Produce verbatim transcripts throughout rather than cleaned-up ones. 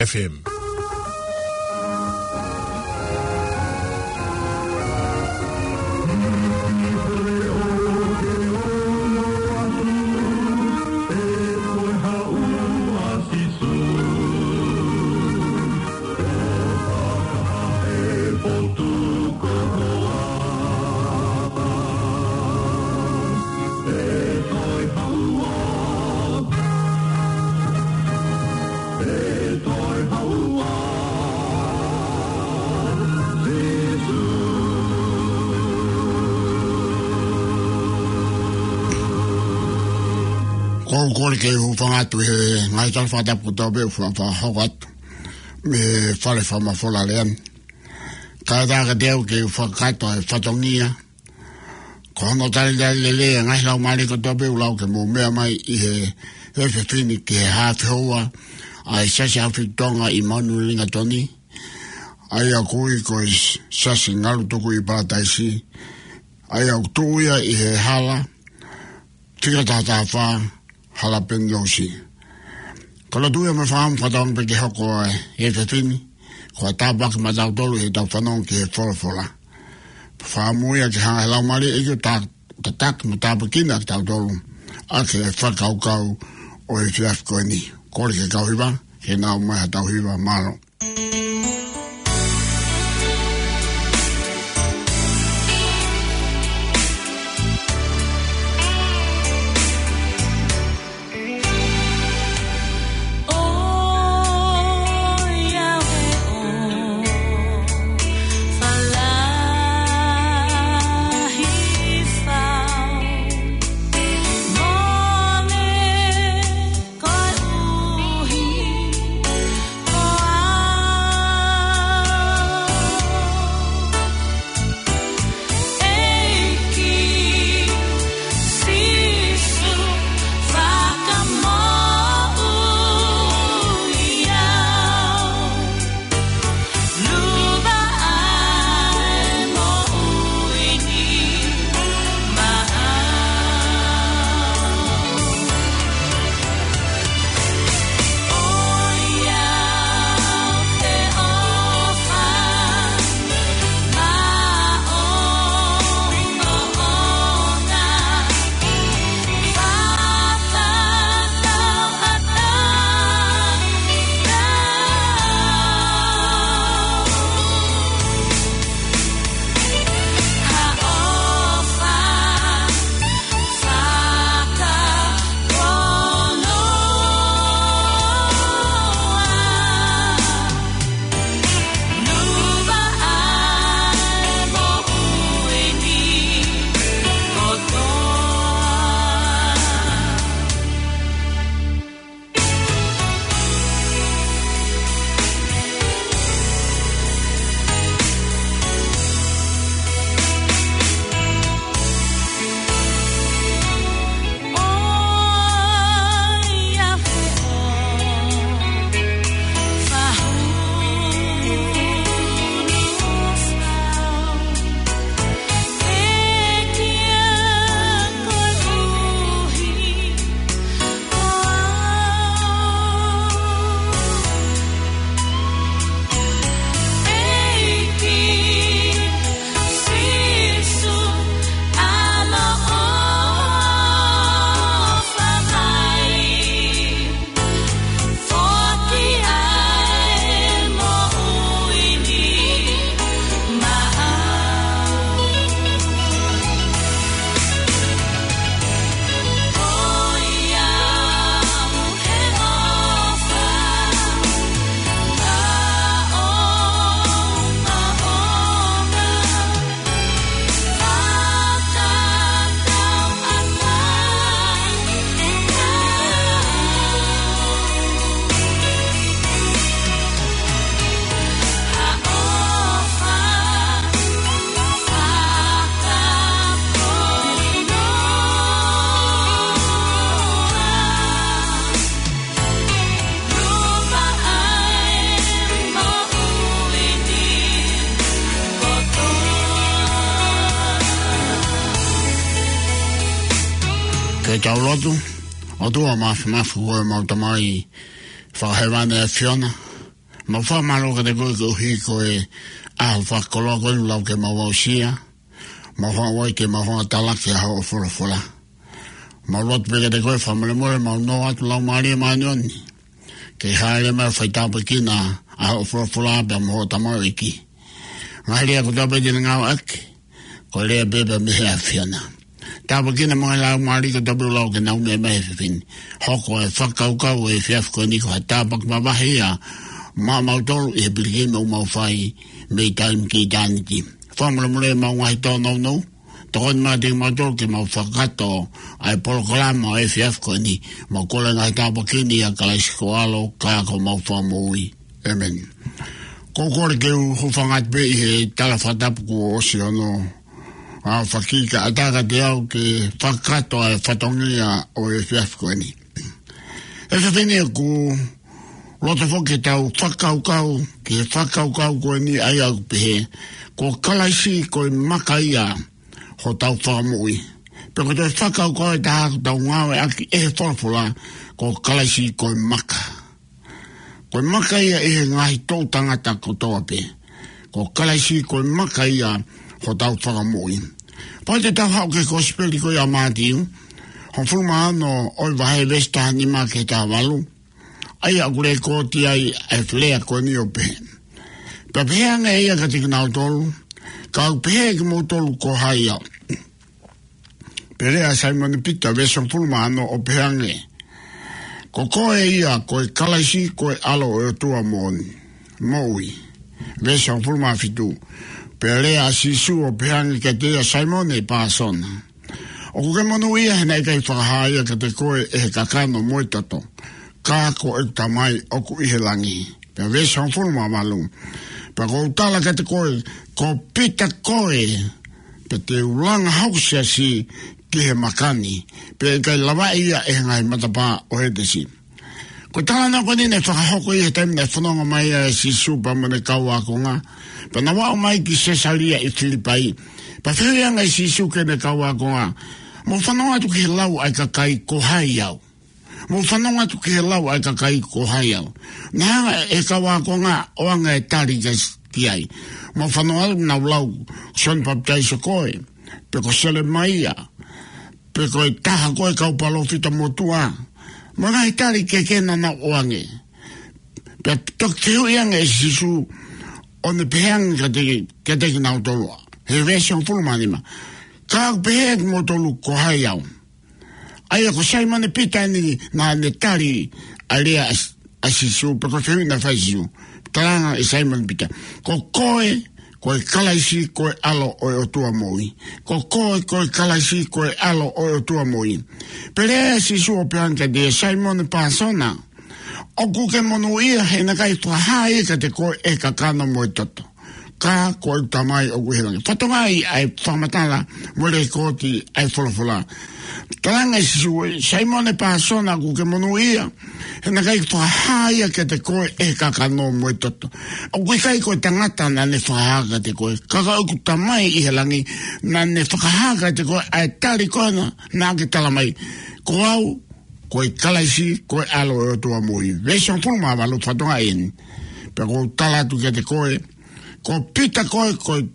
F M. Ko u kole ke u hūfanga atu he ngaahi tala fakatapu kotoa pē ʻoku fakahoko atu mei he fale fakamafola lea ni. Kae ʻatā kiate au ke u fakakakato e fatongia ko hono talitali lelei e ngaahi laumālie kotoa pē ʻoku lau ke mou meʻa mai ʻi he efiafi ni ki he haʻa fehoua ʻa e Siasi ʻAfiliki Tonga ʻi Manurelinga Toni, ʻa ia ʻoku ui ko e Siasi Ngalu Tuku ʻi Palataisi, ʻa ia ʻoku tuʻu ia ʻi he hala fika taha taha fā, Hala Penilosi. Ko e lotu ia mo e fakaʻamu fakatauange pē ke hoko e efiafi ni ko ha tāpuaki maʻatautolu ʻi heʻetau fanongo ki he folofola. Fakaʻamu ia ke hanga ʻe he Laumālie ʻo e ʻEiki ʻo ta-, tataki mo tāpuekina kitautolu ʻaki e fakakaukau ʻo e efiafi ko eni. Kole ki he kau hiva ke nau ʻomai mai haʻatau hiva. Mālō. Ke tau lotu. ʻOtua Māfimafi, ko homau Tamai Fakahēvani ʻa e ʻAfiona, Mau fakamālō kiate koe koeʻuhi ko e ʻaho fakakoloa ko eni ʻoku lau ke mau aʻusia. Mau hanga ʻo ke mau hanga ʻo talaki ʻa hoʻo folofola. Mau lotu pē kiate koe fakamolemole, mau nofo atu Laumālie Māʻoniʻoni ke hāʻele mai ʻo faitāpuekina ʻa hoʻo folofola pea mo hoʻo tamaioʻeiki. Ngaahi lea kotoa pē te ne ngāueʻaki, ko e lea pē pea mei he ʻAfiona. Tāpuekina mo e laumālie kotoa pē ʻoku lau ke nau meʻa mai he efiafi ni. Hoko e fakakaukau ʻo e efiafi ko eni ko ha tāpuaki mavahe ia maʻamautolu ʻi he pilikimi ʻoku mau fai mei taimi ki ʻitāniti. Fakamolemole ʻemau ngaahi tōnounou, tokoni mai kiate kimautolu ke mau fakakakato ʻa e polokalama ʻo e efiafi ko eni. Mau kole ngaahi tāpuaki ni ʻia Kalaisi ko ho ʻAlo ka ko homau Fakamoʻui. ʻĒmeni. Ko e kole ke u hūfanga atu pē ʻi he tala fakatapu kuo ʻosi hono ʻa fakakaukau atu kiate au ke fakakakato ʻa e fatongia ʻo e efiafi ko eni. He efiafi ni ʻoku ou loto foki ke tau fakakaukau ki he fakakaukau ko eni ʻa ia ʻoku pehē, ko Kalaisi ko e maka ia hotau Fakamoʻui. Pea ko e toe fakakaukau ʻe taha ʻoku tau ngāueʻaki ʻi he folofola, ko Kalaisi ko e maka. Ko e maka ia ʻi he ngaahi toʻu tangata kotoa pē. Ko Kalaisi ko e maka ia hotau Fakamoʻui. Pea te tau haʻu ki he Kosipeli ko ia ʻa Mātiu, hongofulu mā ono ʻo e vahe, veesi taha nima ki he taha valu. ʻA ia ʻoku lekooti ai ʻa e lea ko eni ʻo pehē: Pea pehē ange ʻe ia kiate kinautolu, Ka ʻoku pehē kimoutolu ko hai au? Pea lea ʻa Saimone Pita, veesi hongofulu mā ono, ʻo pehē ange, Ko koe ia ko e Kalaisi, ko e ʻAlo ʻo e ʻOtua moʻoni, moʻui. Veesi hongofulu mā fitu. Pea lea ʻa Sīsū ʻo pehē ange kiate ia, Saimone Pāsona, ʻoku ke monūʻia he naʻe ʻikai fakahā ia kiate koe ʻe he kakano mo e toto, ka ko ʻeku Tamai ʻoku ʻi he langi. Pea veesi hongofulu mā valu. Pea ʻoku ou tala kiate koe, ko Pita koe, pea te u langa hoku siasi ki he maka ni, pea ʻe ʻikai lavaʻi ia ʻe he ngaahi matapā ʻo Hētesi. Ko e talanoa ko eni naʻe fakahoko ʻi he taimi naʻe fononga mai ai ʻa Sīsū pea mo ʻene kau ākonga. Pea nau aʻu mai ki Sesalia ʻi Filipai. Pea fehuʻi ange ʻe Sīsū ki heʻene kau ākonga, Mou fanongo atu ki he lau ʻa e kakai ko hai au? Mou fanongo atu ki he lau ʻa e kakai ko hai au? Naʻe hanga ʻe he kau ākonga ʻo ʻoange e tali ki, ki ai. Mou fanongo atu, nau lau, Sione Papitaiso koe, pe ko Selemaia, pe ko e taha ko e kau palōfita motuʻa. Mo e ngaahi tali kehe naʻa nau ʻoange. Pea toki fehuʻi ange ʻe Sīsū ʻo ne pehē ange kiate, kiate kinautolu. He veesi hongofulu mā nima. Ka ʻoku pehē kimoutolu ko hai au? ʻA ia ko Saimone Pita eni naʻa ne tali ʻa e lea ʻa, ʻa Sīsū, pe ko e fehuʻi naʻe fai ʻe Sīsū. Talaange ʻe Saimone Pita, Ko koe, ko e Kalaisi, ko e ʻAlo ʻo e ʻOtua moʻui. Ko koe, ko e Kalaisi, ko e ʻAlo ʻo e ʻOtua moʻui. Pea lea ʻa Sīsū ʻo pehē ange kiate ia, Saimone Pāsona, ʻoku ke monūʻia he naʻe ʻikai fakahā ia kiate koe ʻe he kakano mo e toto, ka ko ʻeku Tamai ʻoku ʻi he langi. Fakatokangaʻi ʻa e fakamatala mo e lekooti ʻa e folofola. Talaange ʻe Sīsū, Saimone Pāsona, ʻoku ke monūʻia he naʻe ʻikai fakahā ia kiate koe ʻe he kakano mo e toto. ʻOku ʻikai ko e tangata naʻa ne fakahā kiate koe, ka ko ʻeku Tamai ʻi he langi naʻa ne fakahā kiate koe ʻa e tali ko ena naʻa ke tala mai, Ko au, ko e Kalaisi, ko e ʻAlo ʻo e ʻOtua moʻui. Veesi hongofulu mā valu, fakatokangaʻi eni. Pea ʻoku ou tala atu kiate koe, ko Pita koe, ko e,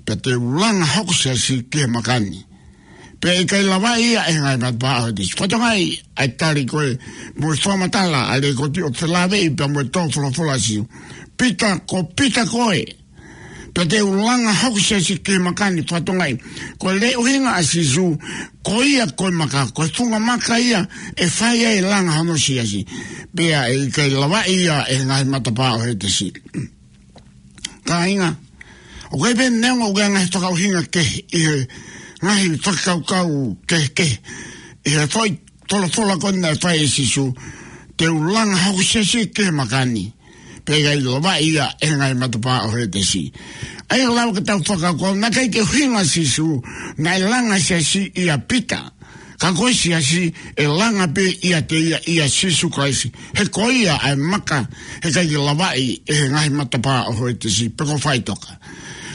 pea te u langa hoku siasi ki he maka ni, pea ʻe ʻikai lavaʻi ia ʻe he ngaahi matapā ʻo Hētesi. Fakatokangaʻi ʻa e tali ko ē mo e fakamatala ʻa e lekooti ʻo felāveʻi pea mo e tō folofola ʻa Sīsū. Pita, ko Pita koe, pea te u langa hoku siasi ki he maka ni. Fakatokangaʻi, ko e lea ʻuhinga ʻa Sīsū, ko ia ko e maka, ko e funga maka ia ʻe fai ai e langa hono siasi, pea ʻe ʻikai lavaʻi ia ʻe he ngaahi matapā ʻo Hētesi. Kāinga, ʻoku ʻi ai pē, neongo ʻoku ʻi ai e ngaahi fakaʻuhinga kehe ʻi he ngaahi fakakaukau kehekehe ʻi he foʻi folofola ko eni naʻe fai ʻe Sīsū, te u langa hoku siasi ki he maka ni, pea ʻe ʻikai lavaʻi ia ʻe he ngaahi matapā ʻo Hētesi. ʻA ia ʻoku lava ke tau fakakaukau, naʻe ʻikai ke ʻuhinga ʻa Sīsū naʻe langa siasi ʻia Pita, ka ko e siasi ʻe langa pē ʻiate ia ʻia Sīsū Kalaisi. He ko ia ʻa e maka, he ʻikai ke lavaʻi ʻe he ngaahi matapā ʻo Hētesi, pe ko e faʻitoka.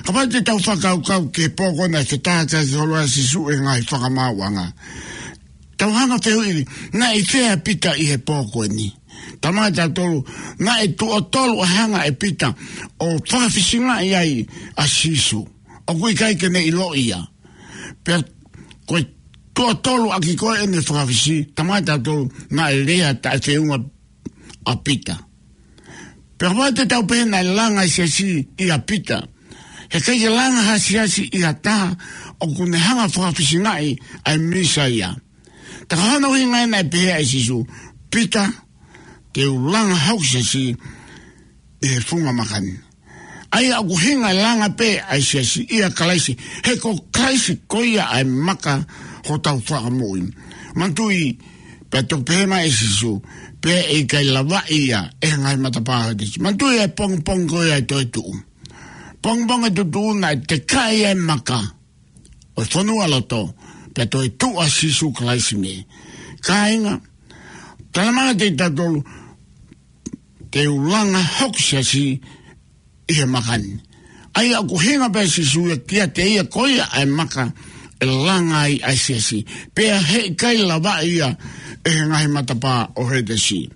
Kapau te tau fakakaukau ki he pō ko ē naʻe fetākiaki holo ai ʻa Sīsū ʻe he ngaahi fakamaauʻanga, tau hanga ʻo fehuʻi, naʻe ʻi fē ʻa Pita ʻi he pō ko eni? Talamai ʻe tautolu, naʻe tuʻo tolu ʻa e hanga ʻe Pita ʻo fakafisingaʻi ai ʻa Sīsū. ʻOku ʻikai ke ne ʻiloʻi ia. Pea ko e tuʻo tolu ʻaki ko ē ʻene fakafisi, talamai ʻe tautolu, naʻe lea taʻefeʻunga ʻa Pita. Pea kapau te tau pehē naʻe langa ʻa e siasi ʻia Pita, heʻikai ke langa ha siasi ʻi ha taha ʻoku ne hanga fakafisingaʻi ʻa e Mīsaia. Tā ko hono ʻuhinga ia naʻe pehē ai ʻe Sīsū, Pita, te u langa hoku siasi ʻi he funga maka ni. ʻA ia ʻoku ʻuhinga e langa pē ʻa e siasi ʻia Kalaisi, he ko Kalaisi ko ia ʻa e maka hotau fakamoʻui. Manatuʻi, pea toki pehē mai ʻe Sīsū, pea ʻe ʻikai lavaʻi ia ʻe he ngaahi matapā ʻo hētesi. Manatuʻi e pongipongi ko ia ʻe toetuʻu. Pongipongi ʻe toetuʻu naʻe tekaʻi ai e maka ʻo e fonualoto, pea toetuʻu ʻa Sīsū Kalaisi mei. Kāinga, talamai ʻe tautolu, te u langa hoku siasi ʻi he maka ni. ʻA ia ʻoku ʻuhinga pē ʻa Sīsū ia kiate ia ko ia ʻa e maka ʻe langa ai ʻa e siasi. Pea heʻikai lavaʻi ia ʻe he ngaahi matapā ʻo hētesi.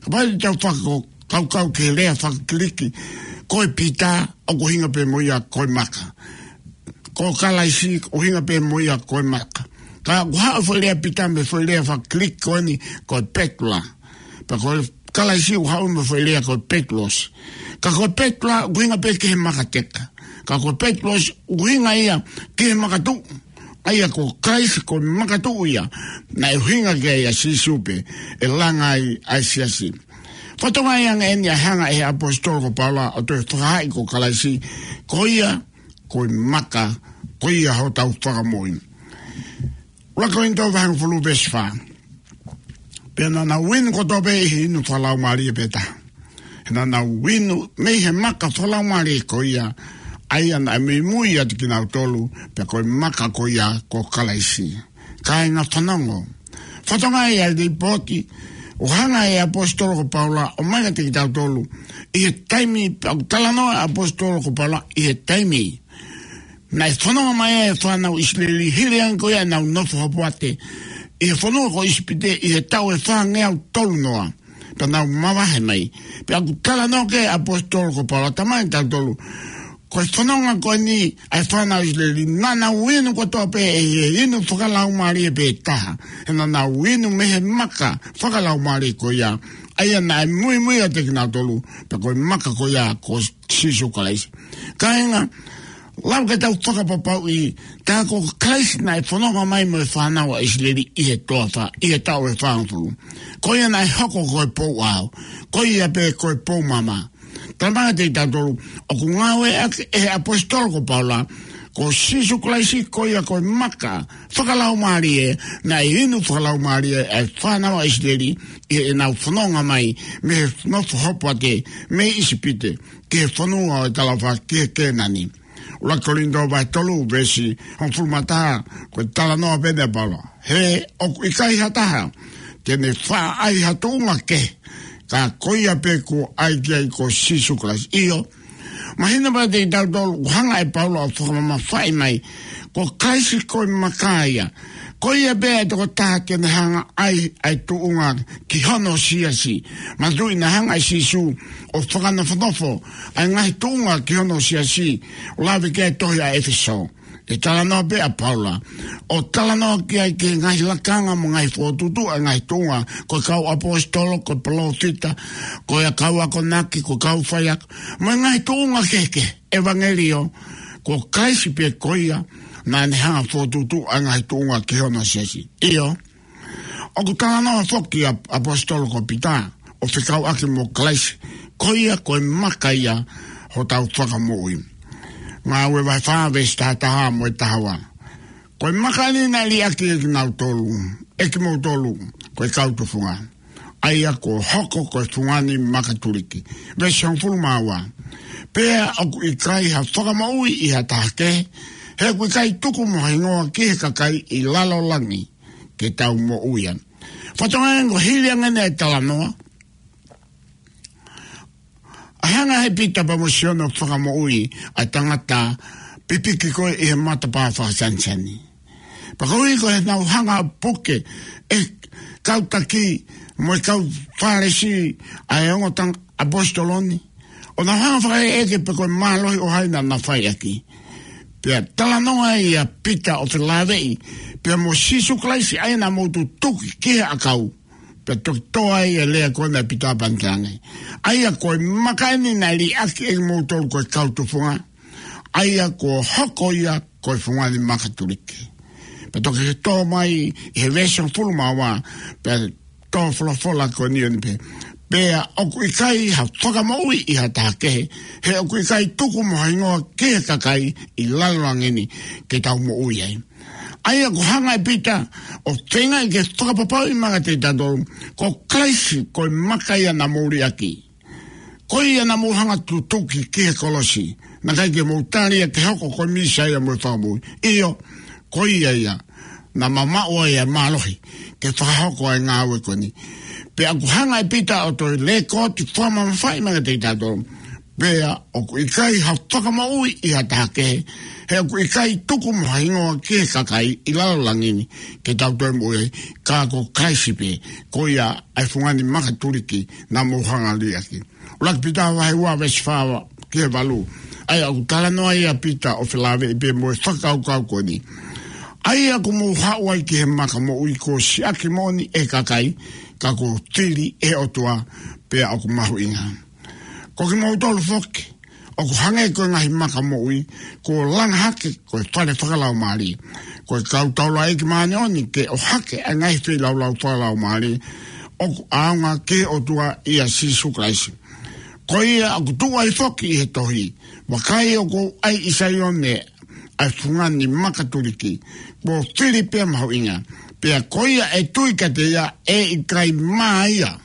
Kapau te tau fakakaukau ki he lea fakakiliki, ko e Pita ʻoku ʻuhinga pē mo ia ko e maka. Ko Kalaisi ʻoku ʻuhinga pē mo ia ko e maka. Ka ʻoku haʻu e foʻi lea Pita mei he foʻi lea fakakiliki ko eni ko e Petula. Pea ko Kalaisi ʻoku haʻu mei he foʻi lea ko e Petulosi. Ka ko e Petula ʻoku ʻuhinga pē ki he maka teka. Ka ko e Petulosi ʻoku ʻuhinga ia ki he maka tuʻu. ʻA ia ko Kalaisi ko e maka tuʻu ia naʻe ʻuhinga ki ai ʻa Sīsū pē ʻe langa ai ʻa e siasi. Fakatokangaʻi ange eni ʻa e hanga ʻe he ʻaposetolo ko Paula ʻo toe fakahaaʻi ko Kalaisi ko ia ko e maka, ko ia hotau fakamoʻui. ʻUluaki Kolinitō vahe hongofulu veesi fā. Pea naʻa nau inu kotoa pē ʻi he inu fakalaumālie pē taha. He naʻa nau inu mei he maka fakalaumālie ko ia, ʻa ia naʻe muimui ʻiate kinautolu, pea ko e maka ko ia ko Kalaisi. Kāinga, fanongo. Fakatokangaʻi ʻa e lipooti ʻoku hanga ʻe he ʻaposetolo ko Paula ʻo ʻomai kiate kitautolu ʻi he taimi, ʻoku talanoa ʻa e ʻaposetolo ko Paula ʻi he taimi naʻe fononga mai ai e fānau ʻIsileli, hili ange ko ia ʻenau nofo hopoate ʻi he fonua ko ʻIsipite ʻi he taʻu ʻe fāngeau tolunoa. Pea nau mavahe mai. Pea ʻoku talanoa ki ai e ʻaposetolo ko Paula, talamai ʻe tautolu, ko e fononga ko eni ʻa e fānau ʻIsileli, naʻa nau inu kotoa pē ʻi he inu fakalaumālie pē taha. He naʻa nau inu mei he maka fakalaumālie ko ia, ʻa ia naʻe muimui ʻiate kinautolu, pea ko e maka ko ia ko Sīsū Kalaisi. Kāinga, lava ke tau fakapapauʻi, tā ko Kalaisi naʻe fononga mai mo e fānau ʻa ʻIsileli ʻi he toafa, ʻi he taʻu ʻe fāngofulu. Ko ia naʻe hoko ko e pou ʻao, ko ia pē ko e pou maama. Talamai ʻe tautolu, ʻoku ngāueʻaki ʻe he ʻaposetolo ko Paula ko Sīsū Kalaisi ko ia ko e maka fakalaumālie, naʻe inu fakalaumālie ʻa e fānau ʻa ʻIsileli ʻi heʻenau fononga mai mei he nofo hopoate mei ʻIsipite ki he fonua ʻo e talaʻofa, ki he Kēnani. ʻUluaki Kolinitō vahe tolu veesi hongofulu mā taha, ko e talanoa pē eni ʻa Paula. He ʻoku ʻikai ha taha te ne faʻa ʻai ha tuʻunga kehe, ka ko ia pē kuo ʻai ki ai ko Sīsū Kalaisi. ʻIo, mahino pē kiate kitautolu, ʻoku hanga ʻe Paula ʻo fakamamafaʻi mai, ko Kalaisi ko e maka ia. Ko ia pē ʻa e tokotaha te ne hanga ʻai ʻa e tuʻunga ki hono siasi. Manatuʻi naʻe hanga ʻe Sīsū ʻo fakanofonofo ʻa e ngaahi tuʻunga ki hono siasi, ʻo lave ki ai e tohi ʻa ʻEfesō. ʻE talanoa pē ʻa Paula ʻo talanoa ki ai ki he ngaahi lakanga mo e ngaahi fokotuʻutuʻu ʻa e ngaahi tuʻunga, ko e kau ʻaposetolo, ko e palōfita, ko e kau akonaki, ko e kau faiako, mo e ngaahi tuʻunga kehekehe ʻevangeliō, ko Kalaisi pē ko ia naʻa ne hanga fokotuʻutuʻu ʻa e ngaahi tuʻunga ki hono siasi. ʻIo, ʻoku talanoa foki ʻa e ʻaposetolo ko Pita ʻo fekauʻaki mo Kalaisi, ko ia ko e maka ia hotau fakamoʻui. Ngāue vahe fā veesi taha taha mo e taha ua. Ko e maka eni naʻe liʻaki ʻe kinautolu, ʻe kimoutolu, ko e kau tufunga, ʻa ia kuo hoko ko e fungani makatuliki. Veesi hongofulu mā ua. Pea ʻoku ʻikai ha fakamoʻui ʻi ha taha kehe, he ʻoku ʻikai tuku mo ha hingoa ki he kakai ʻi lalo langi ke tau moʻui ai. Fakatokangaʻi ange ko e hili ange eni ʻa e talanoa, ʻa e hanga ʻe Pita pea mo Sione ʻo fakamoʻui ʻa e tangata pipiki ko ē ʻi he matapā fakasanisani. Pea koeʻuhi ko ʻenau hanga ʻo puke e kau taki mo e kau Fālesi ʻa e ongo tang ʻaposetolo ni, ʻo nau hanga fakaʻekeʻeke pe ko e mālohi ʻo hai naʻa na fai ʻaki. Pea talanoa ʻia Pita ʻo felāveʻi pea mo Sīsū Kalaisi ʻa ia naʻa mou tutuki ki he ʻakau. Pea toki tō ai e lea ko ena ʻa Pita pea ne talaange, ʻa ia ko e maka eni naʻe liʻaki ʻe kimoutolu ko e kau tufunga, ʻa ia kuo hoko ia ko e fungani makatuliki. Pea toki tō mai ʻi he veesi hongofulu mā ua, pea tō folofola ko eni ʻo ne pehē, pea ʻoku ʻikai ha fakamoʻui ʻi ha taha kehe, he ʻoku ʻikai tuku mo ha hingoa ki he kakai ʻi lalo langi ni ke tau moʻui ai. ʻA ia ʻoku hanga ʻe Pita ʻo feingaʻi ke fakapapauʻi mai kiate kitautolu, ko Kalaisi ko e maka ia naʻa mou liʻaki. Ko ia naʻa mou hanga tutuki ki he kolosi, naʻe ʻikai ke mou tali ia ke hoko ko e Mīsaia mo e Fakamoʻui. ʻIo, ko ia ia naʻa mamaʻo ai ʻa e mālohi ke fakahoko ʻa e ngāue ko eni. Pea ʻoku hanga ʻe Pita ʻo toe lēkooti fakamamafaʻi mai kiate kitautolu, pea ʻoku ʻikai ha fakamoʻui ʻi ha taha kehe, he ʻoku ʻikai tuku mo ha hingoa ki he kakai ʻi lalo langi ni ke tau toe moʻui ai, ka ko Kalaisi pē, ko ia ʻa e fungani makatuliki naʻa mou hanga liʻaki. ʻUluaki Pita vahe ua veesi fā ki he valu. ʻA ia ʻoku talanoa ʻia Pita ʻo felāveʻi pea mo e fakakaukau ko eni, ʻa ia ʻoku mou haʻu ai ki he maka moʻui kuo siʻaki moʻoni ʻe he kakai, ka kuo fili ʻe he ʻOtua, pea ʻoku mahuʻinga. Ko kimoutolu foki, ʻoku hangē ko e ngaahi maka moʻui kuo langa hake ko e fale fakalaumālie, ko e kau taulaʻeiki māʻoniʻoni ke ʻohake ʻa e ngaahi feilaulau fakalaumālie ʻoku ʻaonga ki he ʻOtua ʻia Sīsū Kalaisi. Ko ia ʻoku tuʻu ai foki ʻi he tohi, vakai ʻoku ou ʻai ʻi Saione ʻa e fungani makatuliki, kuo fili pea mahuʻinga. Pea ko ia ʻe tui kiate ia ʻe ʻikai mā ia.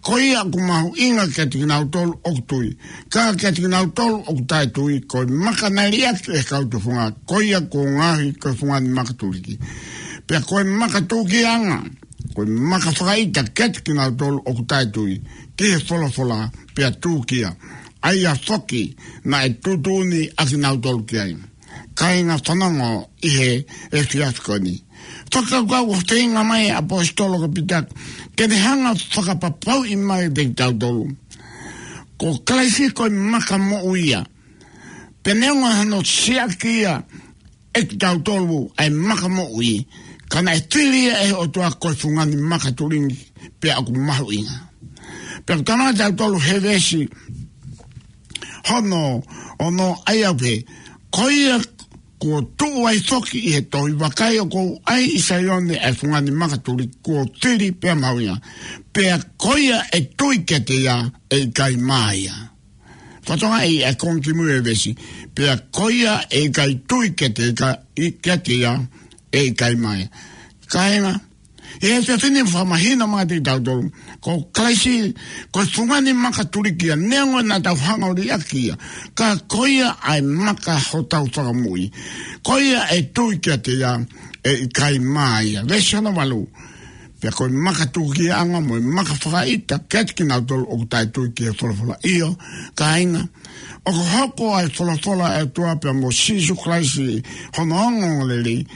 Ko ia ʻoku mahuʻinga kiate kinautolu ʻoku tui, ka kiate kinautolu ʻoku taʻetui, ko e maka naʻe liʻaki ʻe he kau tufunga, ko ia kuo ngaohi ko e fungani makatuliki. Pea ko e maka tūkiaʻanga, ko e maka fakaʻita kiate kinautolu ʻoku taʻetui ki he folofola, pea tūkia ʻa ia foki naʻe tuʻutuʻuni ʻa kinautolu ki ai. Kāinga, fanongo ʻi he efiafi ko eni. Fakakaukau ʻoku feinga mai ʻa e ʻaposetolo ko Pita ke ne hanga fakapapauʻi mai kiate kitautolu, ko Kalaisi ko e maka moʻui ia. Pea neongo hano siʻaki ia ʻe kitautolu ʻa e maka moʻui, ka naʻe fili ia ʻe he ʻOtua ko e fungani makatuliki, pea ʻoku mahuʻinga. Pea ʻoku talanoa kiate kitautolu he veesi hono ono, ʻa ia ʻoku pehē, ko ia kuo tuʻu ai foki ʻi he tohi, vakai ʻoku ou ʻai ʻi Saione ʻa e fungani makatuliki, kuo fili pea mahuʻinga. Pea ko ia ʻe tui kiate ia ʻe ʻikai mā ia. Fakatokangaʻi ʻa e konga kimui ʻo e veesi, pea ko ia ʻe ʻikai tui kiate, ʻikai, kiate ia ʻe ʻikai mā ia. Kāinga, ʻi he efiafi ni fakamahino mai kiate kitautolu, ko Kalaisi ko e fungani makatuliki ia, neongo naʻa tau hanga ʻo liʻaki ia, ka ko ia ʻa e maka hotau Fakamoʻui. Ko ia ʻe tui kiate ia ʻe ʻikai mā ia. Veesi hono valu. Pea ko e maka tūkiaʻanga mo e maka fakaʻita kiate kinautolu ʻoku taʻetui ki he folofola. ʻIo, kāinga, ʻoku hoko ʻa e folofola ʻa e ʻOtua pea mo Sīsū Kalaisi hono ongoongolelei,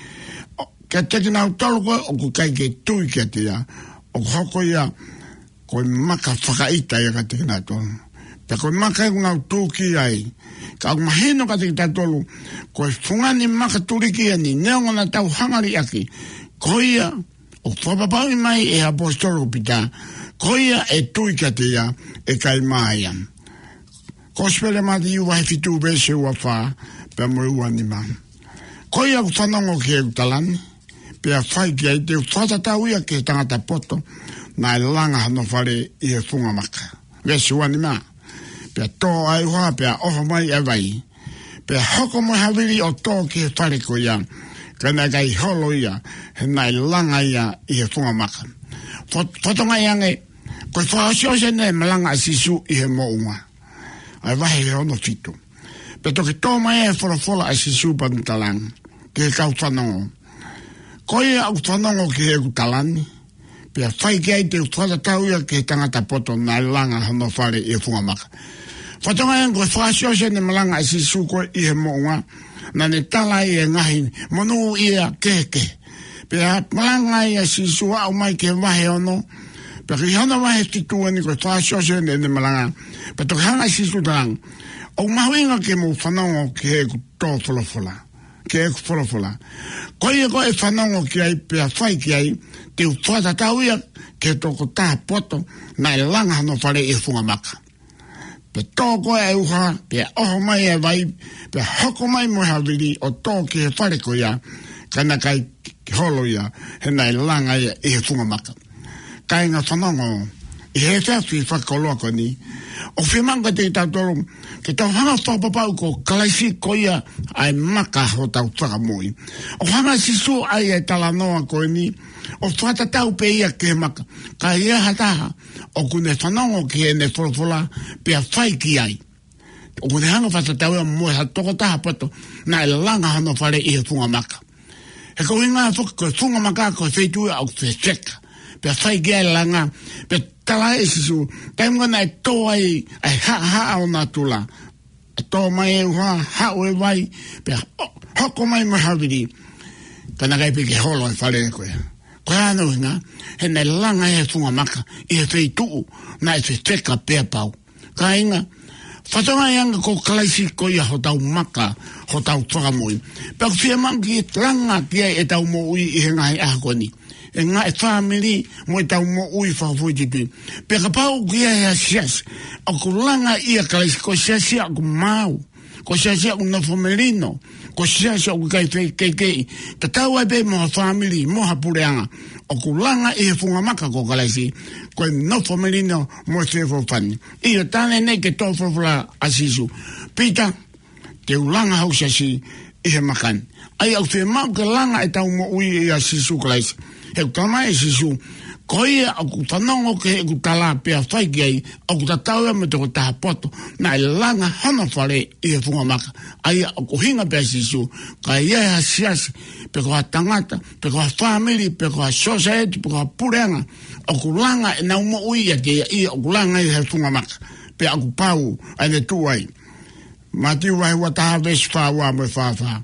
ʻo, kiate kinautolu ko ē ʻoku ʻikai ke tui kiate ia, ʻoku hoko ia ko e maka fakaʻita ia kiate kinautolu. Pea ko e maka ʻoku nau tūkia ai. Ka ʻoku mahino kiate kitautolu, ko e fungani makatuliki eni, neongo naʻa tau hanga ʻo liʻaki, ko ia ʻoku fakapapauʻi mai ʻe he ʻaposetolo ko Pita, ko ia ʻe tui kiate ia ʻe ʻikai mā ia. Kosipeli ʻa Mātiu vahe fitu veesi ua fā pea mo e ua nima. Ko ia ʻoku fanongo ki heʻeku tala ni, pea fai ki ai, te u fakatatau ia ki he tangata poto naʻe langa hono fale ʻi he funga maka. Veesi ua nima. Pea tō ʻa e ʻuha, pea ʻoho mai ʻa e vai, pea hoko mo e havili ʻo tō ki he fale ko ia, ka naʻe ʻikai holo ia, he naʻe langa ia ʻi he funga maka. Fo-, fakatokangaʻi ange, ko e fakaʻosiʻosi eni e malanga ʻa Sīsū ʻi he moʻunga. ʻA e vahe hono fitu. Pea toki tō mai e folofola ʻa Sīsū pea ne talaange ki he kau fanongo, ko ia ʻoku fanongo ki heʻeku tala ni, pea fai ki ai, te u fakatatau ia ki he tangata poto naʻe langa hono fale ʻi he funga maka. Fakatokangaʻi ange ko e fakaʻosiʻosi eni e malanga ʻa Sīsū ko ē ʻi he moʻunga, naʻa ne tala ai e ngaahi monūʻia kehekehe. Pea malanga ai ʻa Sīsū ʻo aʻu mai ki he vahe ono, Pea ko e hā hono vahe fitu eni ko e fakaʻosiʻosi ʻene, ʻene malanga. Pea toki hanga ʻe Sīsū ʻo talaange, ʻoku mahuʻinga ke mou fanongo ki heʻeku tō folofola, ki heʻeku folofola. Ko ia ko ē ʻe fanongo ki ai pea fai ki ai, te u fakatatau ia ki he tokotaha poto naʻe langa hono fale ʻi he funga maka. Pea tō ko ē ʻa e ʻuha, pea ʻoho mai ʻa e vai, pea hoko mai mo e havili ʻo tō ki he fale ko ia, ka naʻe ʻikai ke holo ia, he naʻe langa ia ʻi he funga maka. Kāinga, fanongo ʻi he efiafi fakakoloa ko eni, ʻoku fiemaʻu kiate kitautolu ke tau hanga ʻo fakapapauʻi ko Kalaisi ko ia ʻa e maka hotau fakamoʻui. ʻOku hanga ʻe Sīsū ʻo ʻai ʻa e talanoa ko eni ʻo fakatatau pē ia ki he maka. Ka ʻi ai ha taha ʻoku ne fanongo ki heʻene folofola pea fai ki ai, ʻoku ne hanga ʻo fakatatau ia mo ha tokotaha poto naʻe langa hono fale ʻi he funga maka. He ko e ʻuhinga foki ko e funga maka ko e feituʻu ia ʻoku fefeka, pea fai ki ai e langa. Pea talaange ʻe Sīsū, taimi ko ē naʻe tō ai ʻa e haʻahaʻa ʻo natula, ʻe tō mai e ʻuha, haʻu e vai, pea ho-, hoko mai mo e havili, ka naʻe ʻikai pē ke holo e fale ko ia. Ko e hā hono ʻuhinga? He naʻe langa ʻi he funga maka, ʻi he feituʻu naʻe fefeka pea pau. Kāinga, fakatokangaʻi ange ko Kalaisi ko ia hotau maka, hotau fakamoʻui. Pea ʻoku fiemaʻu ke langa ki ai ʻetau moʻui ʻi he ngaahi ʻaho ko eni, ʻi he ngaahi fāmili mo ʻetau moʻui fakafoʻituitui. Pea kapau ʻoku ʻi ai ha siasi ʻoku langa ʻia Kalaisi, ko e siasi ia ʻoku maau, ko e siasi ia ʻoku nofo melino, ko e siasi ia ʻoku ʻikai fekeʻikeʻi, tatau ai pē mo ha fāmili mo ha puleʻanga ʻoku langa ʻi he funga maka ko Kalaisi, ko e nofo melino mo e feʻofoʻofani. ʻIo, talange ʻeni ki he tō folofola ʻa Sīsū, Pita, te u langa hoku siasi ʻi he maka ni. ʻA ia ʻoku fiemaʻu ke langa ʻetau moʻui ʻia Sīsū Kalaisi. He ʻoku talamai ʻe Sīsū, ko ia ʻoku fanongo ki heʻeku tala pea fai ki ai, ʻoku tatau ia mo e tokotaha poto naʻe langa hono fale ʻi he funga maka. ʻA ia ʻoku ʻuhinga pē ʻa Sīsū, ka ʻi ai ha siasi, pe ko ha tangata, pe ko ha fāmili, pe ko ha sōsaieti, pe ko ha puleʻanga ʻoku langa ʻenau moʻui ʻiate ia, ʻoku langa ʻi he funga maka, pea ʻoku pau ʻene tuʻu ai. Mātiu vahe ua taha veesi fā ua mo e fā fā.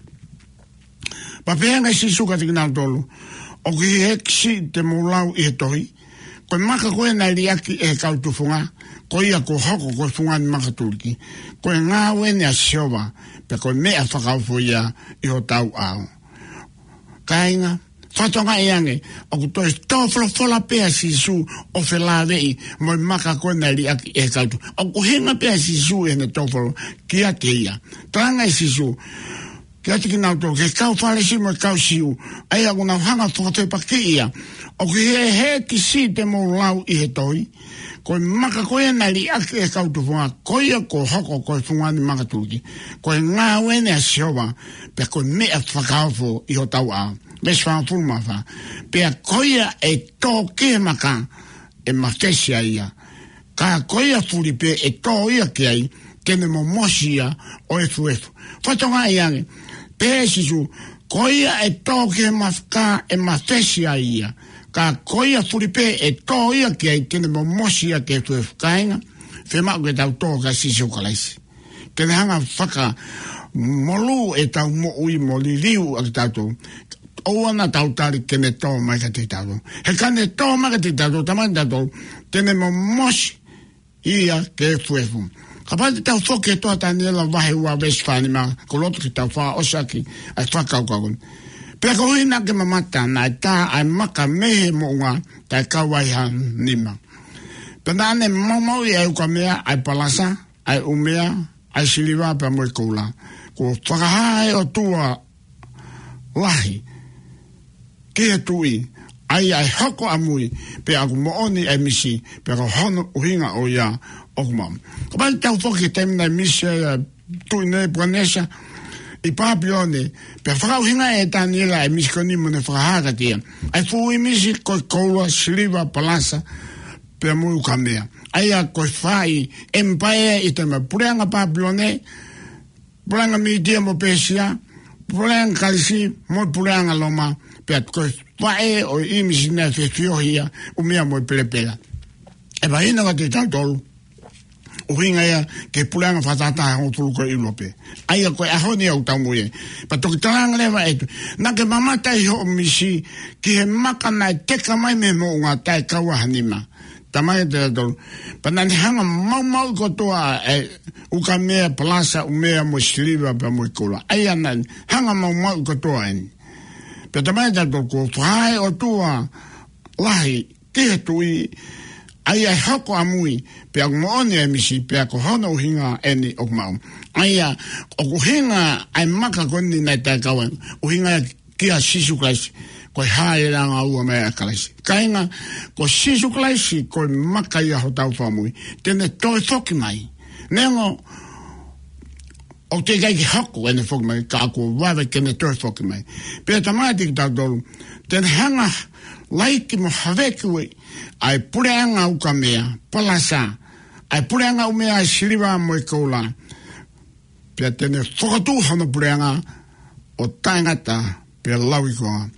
Pea pehē ange ʻe Sīsū kiate kinautolu, ʻOku ʻi hēkisi te mou lau ʻi he tohi, ko e maka ko ē naʻe liʻaki ʻe he kau tufunga, ko ia kuo hoko ko e fungani makatuliki, ko e ngāue eni ʻa Sihova, pea ko e meʻa fakaofo ia ʻi hotau ʻao. Kāinga, fakatokangaʻi ange, ʻoku toe tō folofola pē ʻa Sīsū ʻo felāveʻi mo e maka ko ē naʻe liʻaki ʻe he kau tufunga. ʻOku ʻuhinga pē ʻa Sīsū ʻi heʻene tō folofola kiate ia. Talaange ʻe Sīsū kiate kinautolu, ki he kau Fālesi mo e kau Siu, ʻa ia ʻoku nau hanga ʻo fakafepakiʻi ia, ʻOku ʻi hēkisi te mou lau ʻi he tohi, ko e maka ko ia naʻe liʻaki ʻe he kau tufunga, ko ia kuo hoko ko e fungani makatuliki, ko e ngāue eni ʻa Sihova, pea ko e meʻa fakaofo ʻi hotau ʻao. Veesi fāngofulu mā fā. Pea ko ia ʻe tō ki he maka, ʻe mafesi ai ia. Ka ko ia fuli pē ʻe tō ia ki ai, te ne momosi ia ʻo efuefu. Fakatokangaʻi ange, pehē ʻe Sīsū, ko ia ʻe tō ki he maka ʻe mafesi ai ia. Ka ko ia fuli pē ʻe tō ia ki ai, te ne momosi ia ke efuefu. Kāinga, fiemaʻu ke tau tō kia Sīsū Kalaisi, ke ne hanga ʻo fakamolū ʻetau moʻui mo liliu ʻa kitautolu. ʻOua naʻa tau tali ke ne tō mai kiate kitautolu. He ka ne tō mai kiate kitautolu, talamai kiate kitautolu, te ne momosi ia ke efuefu. Kapau te tau foki ki he tohi ʻa Taniela vahe ua veesi fā nima, ʻoku ou loto ke tau fakaʻosi ʻaki ʻa e fakakaukau ko eni. Pea koeʻuhi naʻa ke mamata, naʻe tā ʻa e maka mei he moʻunga, taʻe kau ai ha nima. Pea naʻa ne maumauʻi ʻa e ukamea, ʻa e palasa, ʻa e ʻumea, ʻa e siliva pea mo e koula. Kuo fakahā ʻe he ʻOtua lahi ki he tuʻi, ʻa ia ʻe hoko ʻamui, pea ʻoku moʻoni ʻa e misi, pea ko hono ʻuhinga ʻo ia ʻoku maʻu. Kapau te tau foki ki he taimi naʻe misi ai ʻa e Tuʻi Nepukanesa ʻi Pāpilone, pea fakaʻuhinga ʻe Taniela ʻa e misi ko eni mo ne fakahā kiate ia ʻa e fuʻu ʻīmisi ko e koula, siliva, palasa, pea mo e ukamea. ʻA ia ko e faʻahi ʻemipaea ʻi he taimi, puleʻanga Pāpilone, puleʻanga Mītia mo Pēsia, puleʻanga Kalisi, mo e puleʻanga Loma, pea ko e faʻē ʻo e ʻīmisi naʻe fefiohi ia, ʻumea mo e pelepela. ʻE mahino kiate kitautolu, ʻuhinga ia ki he puleʻanga fakatahataha hongofulu ko ē ʻi ʻIulope. ʻA ia ko e ʻaho ni ʻoku tau moʻui ai. Pea toki talaange leva ʻe he Tuʻi, naʻa ke mamata ʻi hoʻo misi ki he maka naʻe teka mai mei he moʻunga, taʻe kau ai ha nima. Talamai ʻe he tohi, pea naʻa ne hanga maumauʻi kotoa ʻa e ukamea, palasa, ʻumea mo e siliva pea mo e koula. ʻA ia naʻa ne hanga maumauʻi kotoa eni. Pea talamai ʻe he tohi, kuo fakahā ʻe he ʻOtua lahi ki he Tuʻi, ʻa ia ʻe hoko ʻamui, pea ʻoku moʻoni ʻa e misi, pea ko hono ʻuhinga eni ʻoku maʻu. ʻA ia, ʻoku ʻuhinga ʻa e maka ko eni naʻe taʻekau ai, ʻuhinga kia Sīsū Kalaisi, ko e hā e langa ua mai ʻa Kalaisi. Kāinga, ko Sīsū Kalaisi, ko e maka ia hotau Fakamoʻui. Te ne toe foki mai. Neongo ʻoku teʻeki ai ke hoko ʻene foki mai, ka kuo vave ke ne toe foki mai. Pea talamai kiate kitautolu, te ne hanga laiki mo haveki ʻa e puleʻanga ukamea, palasa, ʻa e puleʻanga ʻumea, ʻa e siliva mo e koula. Pea te ne fokotuʻu hono puleʻanga ʻo taʻengata pea lauikuonga.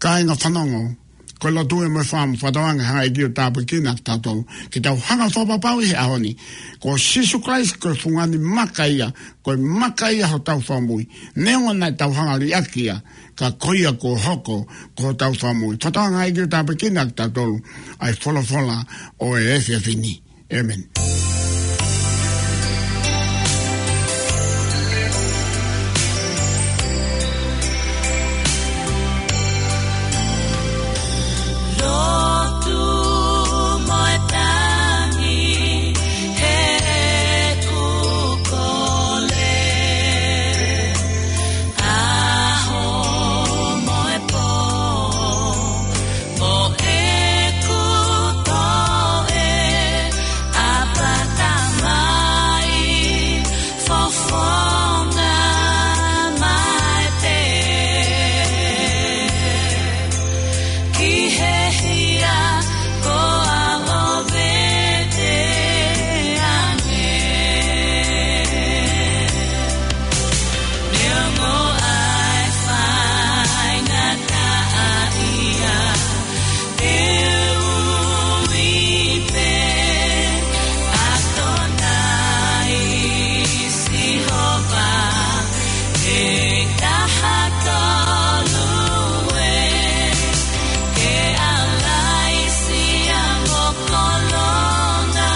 Kāinga, fanongo, ko e lotu ē mo e fakaʻamu, fakatauange hanga ʻe he ʻEiki ʻo tāpuekina kitautolu ke tau hanga ʻo fakapapauʻi he ʻaho ni, ko Sīsū Kalaisi ko e fungani maka ia, ko e maka ia hotau Fakamoʻui. Neongo naʻa tau hanga liʻaki ia, ka ko ia kuo hoko ko hotau Fakamoʻui. Fakatauange hanga ʻe he ʻEiki ʻo tāpuekina kitautolu ʻi he folofola ʻo e efiafi ni. ʻĒmeni. Lotu mo e tangi he kuo kole. ʻAho mo e pō, mo ʻeku toe ʻapata mai, fofonga mai pē ki he hia ko ʻAlo vete ange. Neongo ʻa e faingataʻaʻia, te u ui pē ʻa Tonai Sihova, he taha tolu ē, ke ʻalaisi ʻa mo kolonga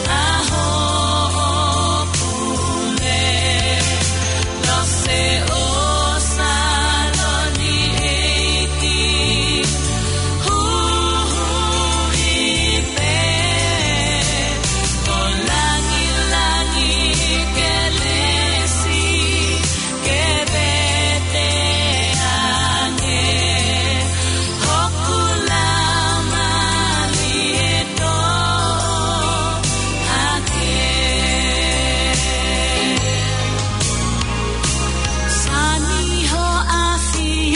ʻa hoʻo pule. Lose ʻo Saloni ʻEiki, huhuʻi pē ʻo langilangi kelesi, ke vete ange hoku lāmani ʻe toʻo hake. Sani ho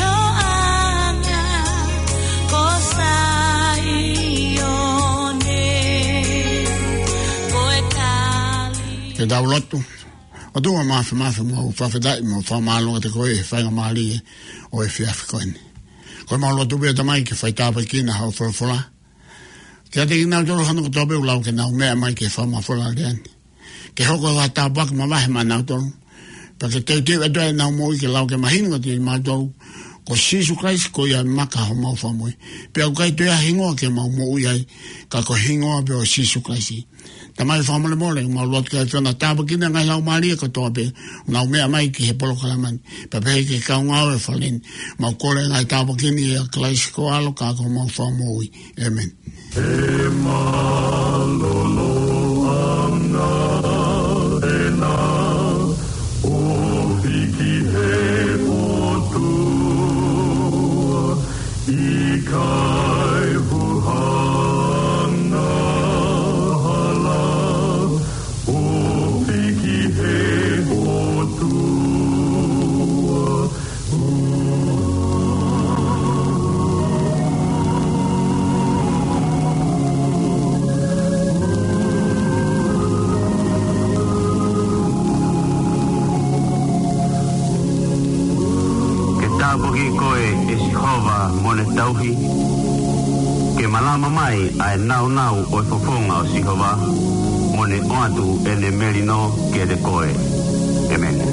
ʻafioʻanga ko Saione, ko e tali. Ke tau lotu. ʻOtua Māfimafi, mau fakafetaʻi mo fakamālō kiate koe he faingamālie ʻo e efiafi ko eni. Ko ʻemau lotu pē, Tamai, ke fai tāpuekina hoʻo folofola kiate kinautolu hono kotoa pē ʻoku lau ke nau meʻa mai ki he fakamafola lea ni, ke hoko ko ha tāpuaki mavahe maʻanautolu. Pea ke teuteu atu ʻenau moʻui ke lau ke mahino kiate kimautolu ko Sīsū Kalaisi ko ia maka homau Fakamoʻui. Pea ʻoku ʻikai toe ʻi ai ha hingoa ke mau moʻui ai, ka ko e hingoa pē ʻo Sīsū Kalaisi. Tamai, fakamolemole, mau lotu ke ʻAfiona tāpuekina e ngaahi laumālie kotoa pē ʻoku nau meʻa mai ki he polokalama ni, pea pehē ki he kau ngāue ʻo e fale ni. Mau kole e ngaahi tāpuaki ni ʻia Kalaisi ko ho ʻAlo ka ko homau Fakamoʻui. ʻĒmeni. He mālōlōʻanga ʻena ʻo hiki he ʻOtua, ʻikai huhanga hala ʻo hiki he ʻOtua. Ke tāpuaki koe ʻe Sihova mo ne tauhi, ke malama mai ʻa e nāunau ʻo e fofonga ʻo Sihova, mo ne ʻoatu ʻene melino kiate koe. ʻĒmeni.